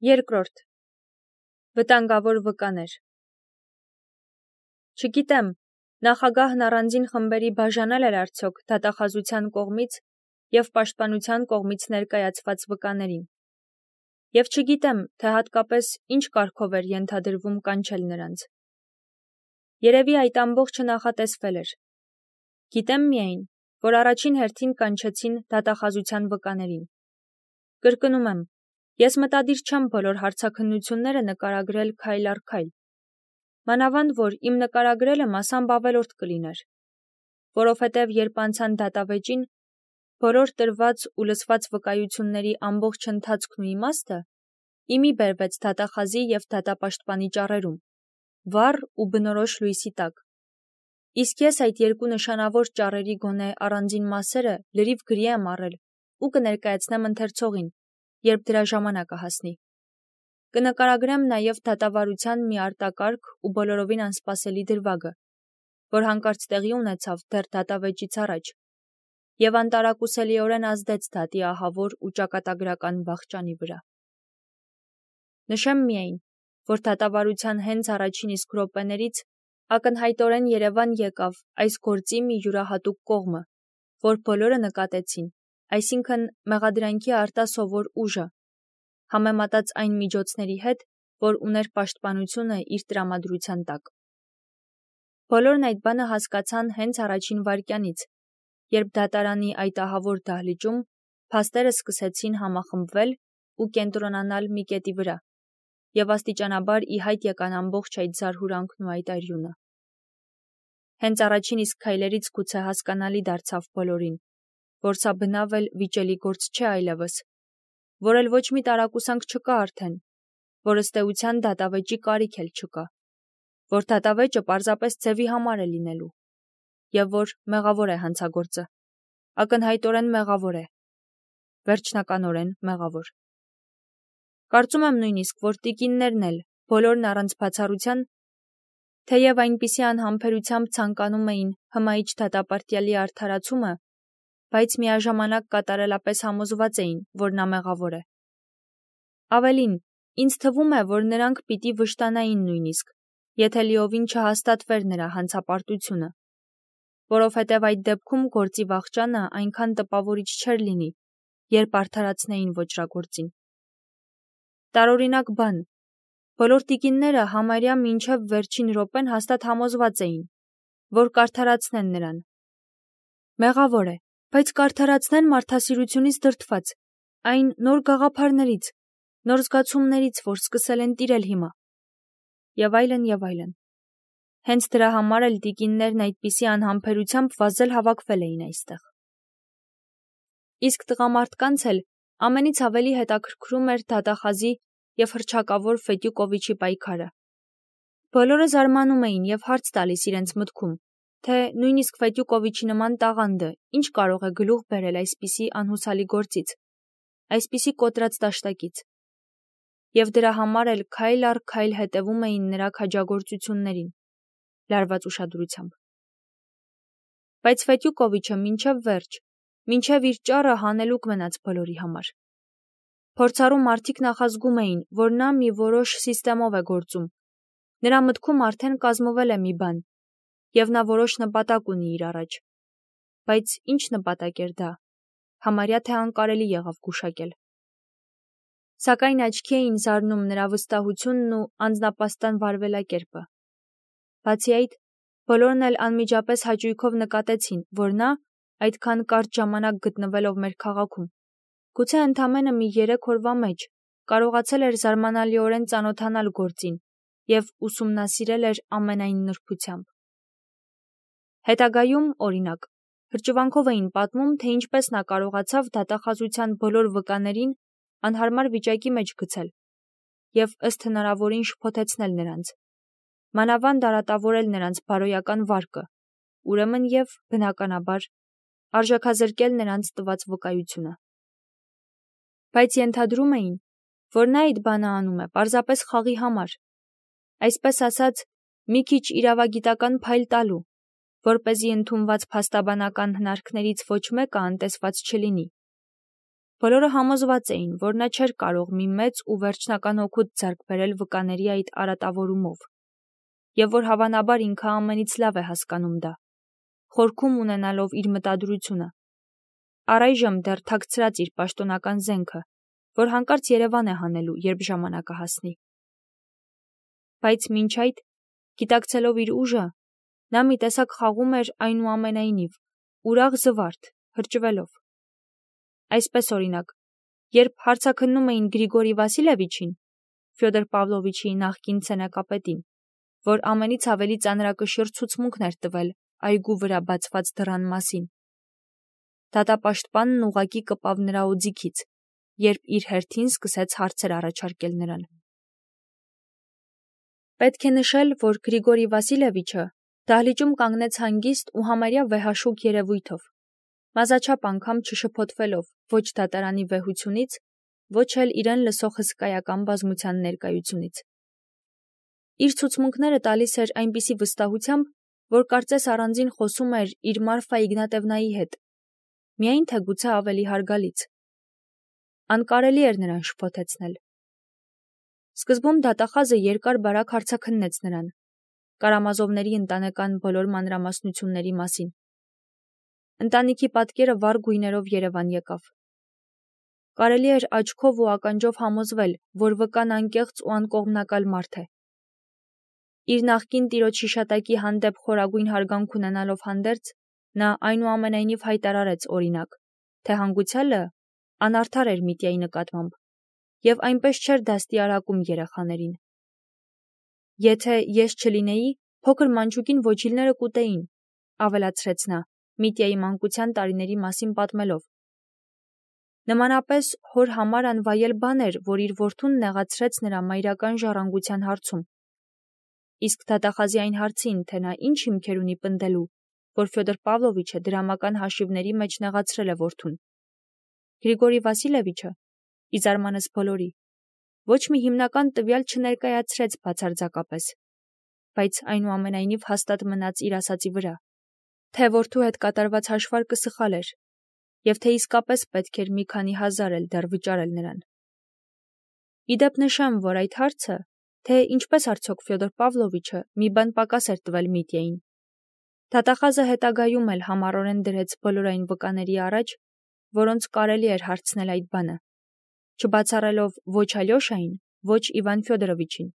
Երկրորդ. վտանգավոր վկաներ։ Չգիտեմ, նախագահն առանձին խմբերի բաժանել էր արդյոք դատախազության կողմից և պաշտպանության կողմից ներկայացված վկաներին։ Եվ չգիտեմ, թե հատկապես ինչ կարգով էր ենթադրվում կանչել նրանց։ Երևի այդ ամբողջը նախատեսվել էր։ Գիտեմ միայն, որ առաջին հերթին կանչեցին դատախազության վկաներին։ Կրկնում եմ, ես մտադիր չեմ բոլոր հարցաքննությունները նկարագրել քայլ առ քայլ։ Մանավանդ որ իմ նկարագրելը մասամբ ավելորդ կլիներ, որովհետև երբ անցան դատավեճին, բոլոր տրված ու լսված վկայությունների ամբողջ ընթացքն ու իմաստը իմի բերվեց դատախազի և դատապաշտպանի ճառերում, վառ ու բնորոշ լույսի տակ։ Իսկ ես այդ երկու նշանավոր ճառերի գոնե առանձին մասերը լրիվ գրի եմ առել ու կներկայացնեմ ընթերցողին, երբ դրա ժամանակը հասնի։ Կնկարագրեմ նաև դատավարության մի արտակարգ ու բոլորովին անսպասելի դրվագը, որ հանկարծ տեղի ունեցավ դեռ դատավեճից առաջ և անտարակուսելիորեն ազդեց դատի ահավոր ու ճակատագրական վախճանի վրա։ Նշեմ միայն, որ դատավարության հենց առաջին իսկ րոպեներից ակնհայտորեն Երևան եկավ այս գործի մի յուրահատուկ կողմը, որ բոլորը նկատեցին, այսինքն մեղադրանքի արտասովոր ուժը, համեմատած այն միջոցների հետ, որ ուներ պաշտպանությունը իր տրամադրության տակ։ Բոլորն այդ բանը հասկացան հենց առաջին վայրկյանից, երբ դատարանի այդ ահավոր դահլիճում փաստերը սկսեցին համախմբվել ու կենտրոնանալ մի կետի վրա, և աստիճանաբար ի հայտ եկան ամբողջ այդ զարհուրանքն ու այդ այրյունը։ Հենց առաջին իսկ քայլերից գուցե հասկանալի դարձավ բոլորին, որ սա բնավ էլ վիճելի գործ չէ այլևս, որ էլ ոչ մի տարակուսանք չկա արդեն, որ ըստ էության դատավեճի կարիք էլ չկա, որ դատավեճը պարզապես ձևի համար է լինելու, և որ մեղավոր է հանցագործը, ակնհայտորեն մեղավոր է, վերջնականորեն մեղավոր։ Կարծում եմ նույնիսկ, որ տիկիններն էլ, բոլորն առանց բացառության, թեև այնպիսի անհամբերությամբ ցանկանում էին հմայիչ դատապարտյալի արդարացումը, բայց միաժամանակ կատարելապես համոզված էին, որ նա մեղավոր է։ Ավելին, ինձ թվում է, որ նրանք պիտի վշտանային նույնիսկ, եթե լիովին չհաստատվեր նրա հանցապարտությունը, որովհետև այդ դեպքում գործի վախճանը այնքան տպավորիչ չէր լինի, երբ արդարացնեին ոճրագործին։ Տարօրինակ բան, բոլոր տիկինները համարյա մինչև վերջին րոպեն հաստատ համոզված էին, որ կարդարացնեն նրան։ Մեղավոր է, բայց կարդարացնեն մարդասիրությունից դրդված, այն նոր գաղափարներից, նոր զգացումներից, որ սկսել են տիրել հիմա։ Եվ այլն, և այլն։ Հենց դրա համար էլ տիկիններն այդպիսի անհամբերությամբ վազել հավաքվել էին այստեղ։ Իսկ տղամարդկանց էլ ամենից ավելի հետաքրքրում էր դատախազի և հռչակավոր Ֆետյուկովիչի պայքարը։ Բոլորը զարմանում էին և հարց տալիս իրենց մտքում, թե նույնիսկ Ֆետյուկովիչի նման տաղանդը ինչ կարող է գլուխ բերել այսպիսի անհուսալի գործից, այսպիսի կոտրած դաշտակից։ Եվ դրա համար էլ քայլ առ քայլ հետևում էին նրա քաջագործություններին, լարված ուշադրությամբ։ Բայց Ֆետյուկովիչը մինչև վերջ, մինչև իր ճառը հանելուկ մնաց բոլորի համար։ Փորձառու մարդիկ նախազգում էին, որ նա մի որոշ սիստեմով է գործում, նրա մտքում արդեն կազմվել է մի բան, և նա որոշ նպատակ ունի իր առաջ։ Բայց ինչ նպատակ էր դա, համարյա թե անկարելի եղավ գուշակել։ Սակայն աչքի էին զարնում նրա վստահությունն ու անձնապաստան վարվելակերպը։ Բացի այդ, բոլորն էլ անմիջապես հաճույքով նկատեցին, որ նա, այդքան կարճ ժամանակ գտնվելով մեր քաղաքում, գուցե ընդամենը մի 3 օրվա մեջ կարողացել էր զարմանալիորեն ծանոթանալ գործին և ուսումնասիրել էր ամենայն նրբությամբ։ Հետագայում, օրինակ, հրճվանքով էին պատմում, թե ինչպես նա կարողացավ դատախազության բոլոր վկաներին անհարմար վիճակի մեջ գցել և ըստ հնարավորին շփոթեցնել նրանց, մանավանդ արատավորել նրանց բարոյական վարկը, ուրեմն և, բնականաբար, արժեքազրկել նրանց տված վկայությունը։ Բայց ենթադրում էին, որ նա այդ բանը անում է պարզապես խաղի համար, այսպես ասած, մի քիչ իրավագիտական փայլ տալու, որպեսզի ընդունված փաստաբանական հնարքներից ոչ մեկը անտեսված չլինի։ Բոլորը համոզված էին, որ նա չէր կարող մի մեծ ու վերջնական օգուտ ձեռք բերել վկաների այդ արատավորումով, և որ հավանաբար ինքը ամենից լավ է հասկանում դա, խորքում ունենալով իր մտադրությունը։ Առայժմ դեռ թաքցրած իր պաշտոնական զենքը, որ հանկարծ Երևան է հանելու, երբ ժամանակը հասնի։ Բայց մինչ այդ, գիտակցելով իր ուժը, նա մի տեսակ խաղում էր այնուամենայնիվ, ուրախ զվարթ, հրճվելով։ Այսպես օրինակ, երբ հարցաքննում էին Գրիգորի Վասիլևիչին, Ֆյոդոր Պավլովիչի նախկին ցենակապետին, որ ամենից ավելի ծանրակշիռ ցուցմունքն էր տվել այգու վրա բացված դռան մասին, դատապաշտպանն ուղղակի կպավ նրա օձիքից, երբ իր հերթին սկսեց հարցեր առաջարկել նրան։ Պետք է նշել, որ Գրիգորի Վասիլևիչը դահլիճում կանգնեց հանգիստ ու համարյա վեհաշուկ երևույթով, մազաչափ անգամ չշփոթվելով ոչ դատարանի վեհությունից, ոչ էլ իրեն լսող հսկայական բազմության ներկայությունից։ Իր ցուցմունքները տալիս էր այնպիսի վստահությամբ, որ կարծես առանձին խոսում էր իր Մարֆա Իգնատևնայի հետ, միայն թե գուցե ավելի հարգալից։ Անկարելի էր նրան շփոթեցնել։ Սկզբում դատախազը երկար-բարակ հարցաքննեց նրան, Կարամազովների ընտանեկան բոլոր մանրամասնությունների մասին։ Ընտանիքի պատկերը վառ գույներով Երևան եկավ։ Կարելի էր աչքով ու ականջով համոզվել, որ վկան անկեղծ ու անկողմնակալ մարդ է։ Իր նախկին տիրոջ հիշատակի հանդեպ խորագույն հարգանք ունենալով հանդերձ, նա այնուամենայնիվ հայտարարեց օրինակ, թե հանգուցյալը անարդար էր Միտյայի նկատմամբ և այնպես չէր դաստիարակում երեխաներին։ Եթե ես չլինեի, փոքր մանչուկին ոչիլները կուտեին, ավելացրեց նա, Միտյայի մանկության տարիների մասին պատմելով։ Նմանապես հոր համար անվայել բան էր, որ իր որդուն նեղացրեց նրա մայրական ժառանգության հարցում։ Իսկ դատախազի այն հարցին, թե նա ինչ հիմքեր ունի պնդելու, որ Ֆյոդոր Պավլովիչը դրամական հաշիվների մեջ նեղացրել է որդուն, Գրիգորի Վասիլևիչը, ի զարմանս բոլորի, ոչ մի հիմնական տվյալ չներկայացրեց բացարձակապես, բայց այնուամենայնիվ հաստատ մնաց իր ասածի վրա, թե որդու հետ կատարված հաշվարկը սխալ էր, և թե իսկապես պետք էր մի քանի հազար էլ դեռ վճարել նրան։ Իդեպ նշեմ, որ այդ հարցը, թե ինչպես արդյոք Ֆյոդոր Պավլովիչը մի բան պակաս էր տվել Միտյային, դատախազը հետագայում էլ համառորեն դրեց բոլոր այն վկաների առաջ, որոնց կարելի էր հարցնել այդ բանը, չբացառելով ոչ Ալյոշային, ոչ Իվան Ֆյոդորովիչին,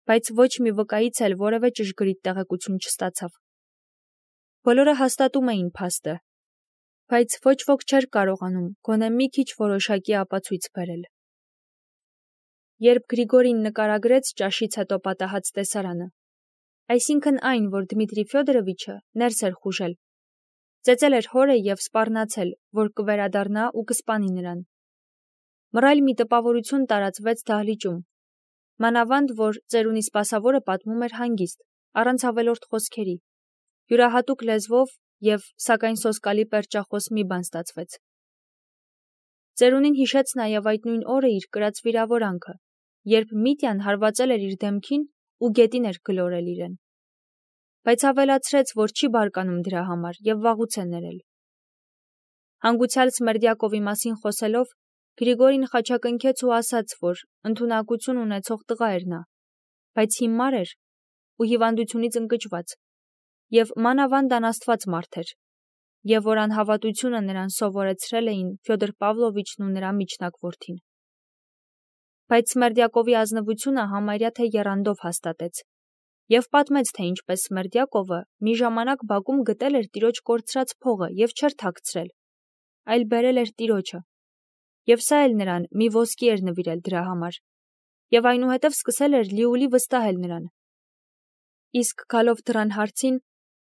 բայց ոչ մի վկայից էլ որևէ ճշգրիտ տեղեկություն չստացավ։ Բոլորը հաստատում էին փաստը, բայց ոչ ոք չէր կարողանում գոնե մի քիչ որոշակի ապացույց բերել։ Երբ Գրիգորին նկարագրեց ճաշից հետո պատահած տեսարանը, այսինքն այն, որ Դմիտրի Ֆյոդորովիչը ներս էր խուժել, ծեծել էր հորը և սպառնացել, որ կվերադառնա ու կսպանի նրան, մռայլ մի տպավորություն տարածվեց դահլիճում, մանավանդ, որ ծերունի սպասավորը պատմում էր հանգիստ, առանց ավելորդ խոսքերի, յուրահատուկ լեզվով և, սակայն սոսկալի պերճախոս մի բան ստացվեց։ Ծերունին հիշեց նաև այդ նույն օրը իր կրած վիրավորանքը, երբ Միտյան հարվածել էր իր դեմքին ու գետին էր գլորել իրեն, բայց ավելացրեց, որ չի բարկանում դրա համար և վաղուց է ներել։ Հանգուցյալ Սմերդյակովի մասին խոսելով, Գրիգորին խաչակնքեց ու ասաց, որ ընդունակություն ունեցող տղա էր նա, բայց հիմար էր ու հիվանդությունից ընկճված, և մանավանդ անաստված մարդ էր, և որ անհավատությունը նրան սովորեցրել էին Ֆյոդոր Պավլովիչն ու նրա միջնակ որդին։ Բայց Սմերդյակովի ազնվությունը համարյա թե եռանդով հաստատեց, և պատմեց, թե ինչպես Սմերդյակովը մի ժամանակ բակում գտել էր տիրոջ կորցրած փողը և չէր թաքցրել, այլ բերել էր տիրոջը, և սա էլ նրան մի ոսկի էր նվիրել դրա համար, և այնուհետև սկսել էր լիուլի վստահել նրան։ Իսկ գալով դռան հարցին,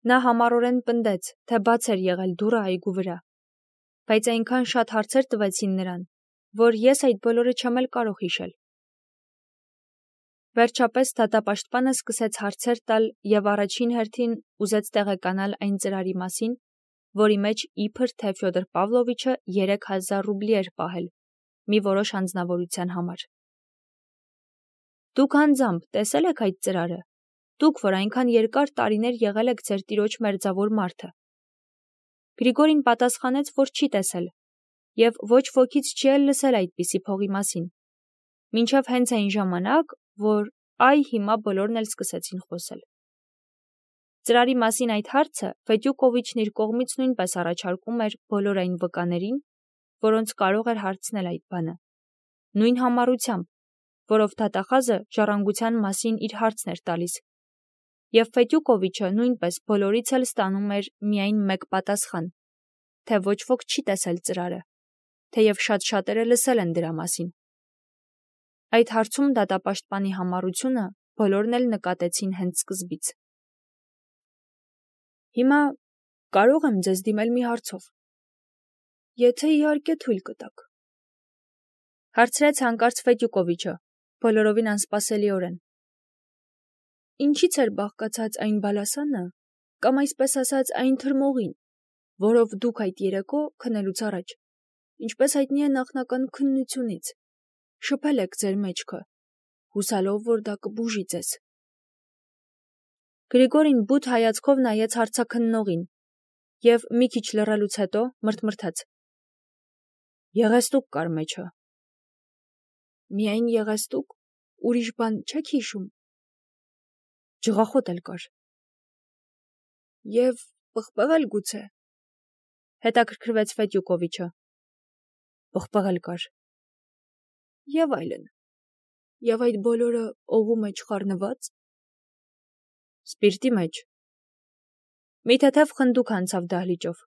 նա համառորեն պնդեց, թե բաց էր եղել դուռը այգու վրա, բայց այնքան շատ հարցեր տվեցին նրան, որ ես այդ բոլորը չեմ էլ կարող հիշել։ Վերջապես դատապաշտպանը սկսեց հարցեր տալ և առաջին հերթին ուզեց տեղեկանալ այն ծրարի մասին, որի մեջ իբր թե Ֆյոդոր Պավլովիչը 3000 ռուբլի էր պահել մի որոշ անձնավորության համար։ Դուք անձամբ տեսել եք այդ ծրարը, դուք, որ այնքան երկար տարիներ եղել եք ձեր տիրոջ մերձավոր մարդը։ Գրիգորին պատասխանեց, որ չի տեսել, և ոչ ոքից չի էլ լսել այդպիսի փողի մասին, մինչև հենց այն ժամանակ, որ հիմա բոլորն էլ սկսեցին խոսել։ Ծրարի մասին այդ հարցը Ֆետյուկովիչն իր կողմից նույնպես առաջարկում էր բոլոր այն վկաներին, որոնց կարող էր հարցնել այդ բանը, նույն համառությամբ, որով դատախազը ժառանգության մասին իր հարցն էր տալիս, և Ֆետյուկովիչը նույնպես բոլորից էլ ստանում էր միայն մեկ պատասխան, թե ոչ ոք չի տեսել ծրարը, թեև շատ շատերը լսել են դրա մասին։ Այդ հարցում դատապաշտպանի համառությունը բոլորն էլ նկատեցին հենց սկզբից։ Հիմա կարող եմ ձեզ դիմել մի հարցով, եթե իհարկե թույլ կտաք, հարցրեց հանկարծ Ֆետյուկովիչը, բոլորովին անսպասելիորեն։ Ինչից էր բաղկացած այն բալասանը, կամ այսպես ասած այն թրմողին, որով դուք այդ երեկո քնելուց առաջ, ինչպես հայտնի է նախնական քննությունից, շփել եք ձեր մեջքը, հուսալով, որ դա կբուժի ձեզ։ Գրիգորին բութ հայացքով նայեց հարցաքննողին և մի քիչ լռելուց հետո մրթմրթաց. Եղեստուկ կար մեջը։ Միայն եղեստուկ, ուրիշ բան չեք հիշում։ Ջղախոտ էլ կար։ Եվ պղպեղ էլ գուցե։ Հետաքրքրվեց Ֆետյուկովիչը։ Պղպեղ էլ կար։ Եվ այլն։ Եվ այդ բոլորը օղու մեջ խառնված։ Սպիրտի մեջ։ Մի թեթև խնդուկ անցավ դահլիճով։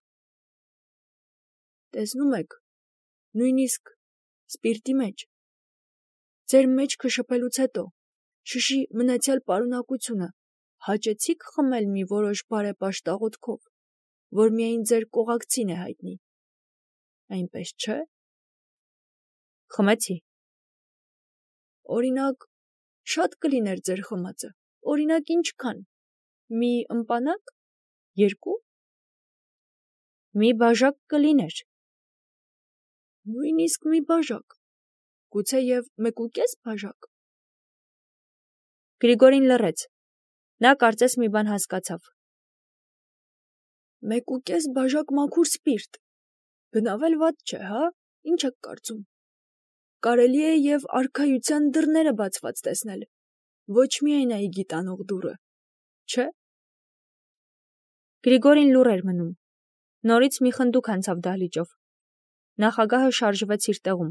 Տեսնում եք, նույնիսկ սպիրտի մեջ։ Ձեր մեջքը շփելուց հետո, շշի մնացյալ պարունակությունը հաճեցիք խմել մի որոշ բարեպաշտ աղոթքով, որ միայն ձեր կողակցին է հայտնի։ Այնպես չէ։ Խմեցի։ Օրինակ, շատ կլիներ ձեր խմածը, օրինակ ինչքան, մի ըմպանակ, երկու։ Մի բաժակ կլիներ։ Նույնիսկ մի բաժակ, գուցե և 1.5 բաժակ։ Գրիգորին լռեց, նա կարծես մի բան հասկացավ։ 1.5 բաժակ մաքուր սպիրտ, բնավ էլ վատ չէ, հա, ինչ եք կարծում։ Կարելի է և արքայության դռները բացված տեսնել, ոչ միայն այգի տանող դուռը, չէ։ Գրիգորին լուռ էր մնում, նորից մի խնդուկ անցավ դահլիճով, նախագահը շարժվեց իր տեղում։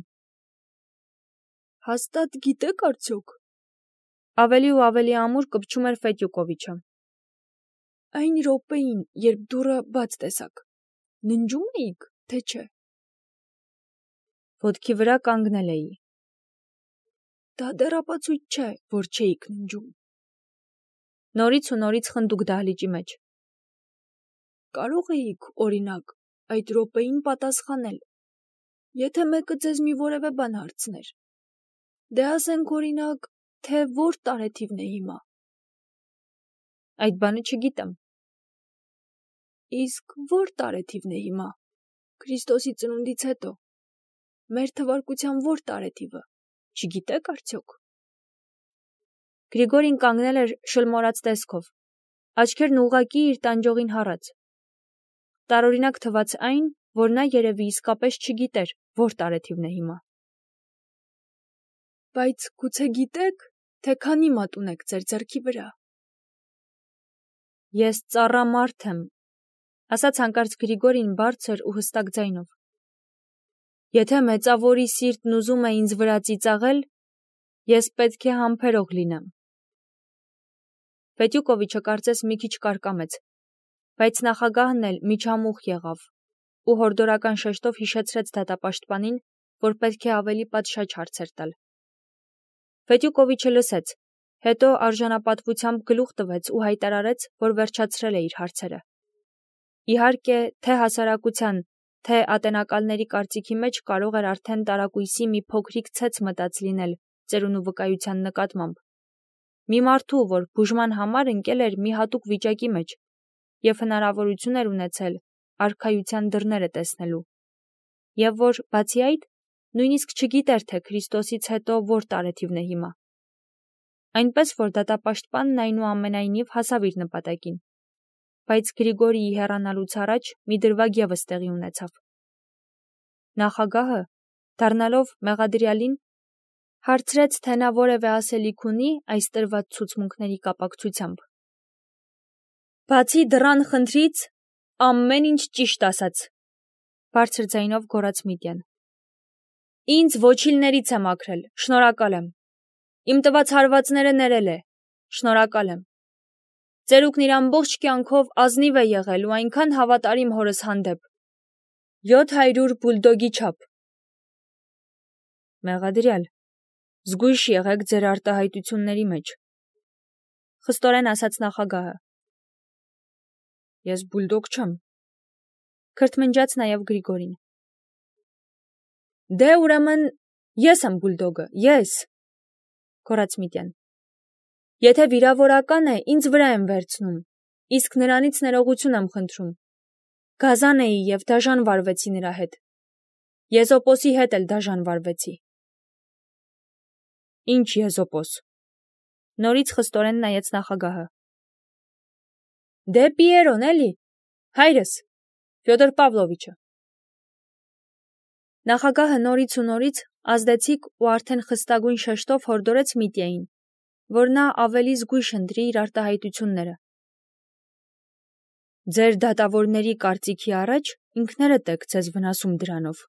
Հաստատ գիտեք արդյոք։ Ավելի ու ավելի ամուր կպչում էր Ֆետյուկովիչը։ Այն րոպեին, երբ դուռը բաց տեսաք, ննջում էիք, թե չէ։ Ոտքի վրա կանգնել էի։ Դա դեռ ապացույց չէ, որ չէիք ննջում։ Նորից ու նորից խնդուկ դահլիճի մեջ։ Կարող էիք, օրինակ, այդ րոպեին պատասխանել, եթե մեկը ձեզ մի որևէ բան հարցներ։ Դե ասենք, օրինակ, թե որ տարեթիվն է հիմա։ Այդ բանը չգիտեմ։ Իսկ որ տարեթիվն է հիմա։ Քրիստոսի ծնունդից հետո։ Մեր թվարկության որ տարեթիվը, չգիտեք արդյոք։ Գրիգորին կանգնել էր շլմորած տեսքով, աչքերն ուղղակի իր տանջողին հառած։ Տարօրինակ թվաց այն, որ նա երևի իսկապես չգիտեր, որ տարեթիվն է հիմա։ Բայց գուցե գիտեք, թե քանի մատ ունեք ձեր ձեռքի վրա։ Ես ծառամարդ եմ, ասաց հանկարծ Գրիգորին բարձր ու հստակ ձայնով։ Եթե մեծավորի սիրտն ուզում է ինձ վրա ծիծաղել, ես պետք է համբերող լինեմ։ Ֆետյուկովիչը կարծես մի քիչ կարկամեց, բայց նախագահն էլ միջամուխ եղավ ու հորդորական շեշտով հիշեցրեց դատապաշտպանին, որ պետք է ավելի պատշաճ հարցեր տալ։ Ֆետյուկովիչը լսեց, հետո արժանապատվությամբ գլուխ տվեց ու հայտարարեց, որ վերջացրել է իր հարցերը։ Իհարկե, թե հասարակության, թե ատենակալների կարծիքի մեջ կարող էր արդեն տարակույսի մի փոքրիկ ցեց մտած լինել ծերունու վկայության նկատմամբ։ Մի մարդու, որ բուժման համար ընկել էր մի հատուկ վիճակի մեջ և հնարավորություն էր ունեցել արքայության դռները տեսնելու, և որ, բացի այդ, նույնիսկ չգիտեր, թե Քրիստոսից հետո որ տարեթիվն է հիմա։ Այնպես, որ դատապաշտպանն այնուամենայնիվ հասավ իր նպատակին, բայց Գրիգորիի հեռանալուց առաջ մի դրվագ ևս տեղի ունեցավ։ Նախագահը, դառնալով մեղադրյալին, հարցրեց, թե նա որևէ ասելիք ունի այս տրված ցուցմունքների կապակցությամբ։ Բացի դռան խնդրից, ամեն ինչ ճիշտ ասաց, բարձր ձայնով գոռաց Միտյան։ Ինձ ոչիլներից է մաքրել, շնորհակալ եմ։ Իմ տված հարվածները ներել է, շնորհակալ եմ։ Ծերուկն իր ամբողջ կյանքով ազնիվ է եղել ու այնքան հավատարիմ հորս հանդեպ։ 700 բուլդոգի չափ։ Մեղադրյալ, զգույշ եղեք ձեր արտահայտությունների մեջ, խստորեն ասաց նախագահը։ Ես բուլդոգ չեմ, քրթմնջաց նաև Գրիգորին։ Դե ուրեմն ես եմ բուլդոգը, ես, գոռաց Միտյան։ Եթե վիրավորական է, ինձ վրա եմ վերցնում, իսկ նրանից ներողություն եմ խնդրում։ Գազան էի և դաժան վարվեցի նրա հետ։ Եզոպոսի հետ էլ դաժան վարվեցի։ Ինչ Եզոպոս, նորից խստորեն նայեց նախագահը։ Դե Պիերոն էլի, հայրս, Ֆյոդոր Պավլովիչը։ Նախագահը նորից ու նորից ազդեցիկ ու արդեն խստագույն շեշտով հորդորեց Միտյային, որ նա ավելի զգույշ ընտրի իր արտահայտությունները։ Ձեր դատավորների կարծիքի առաջ ինքներդ եք ձեզ վնասում դրանով։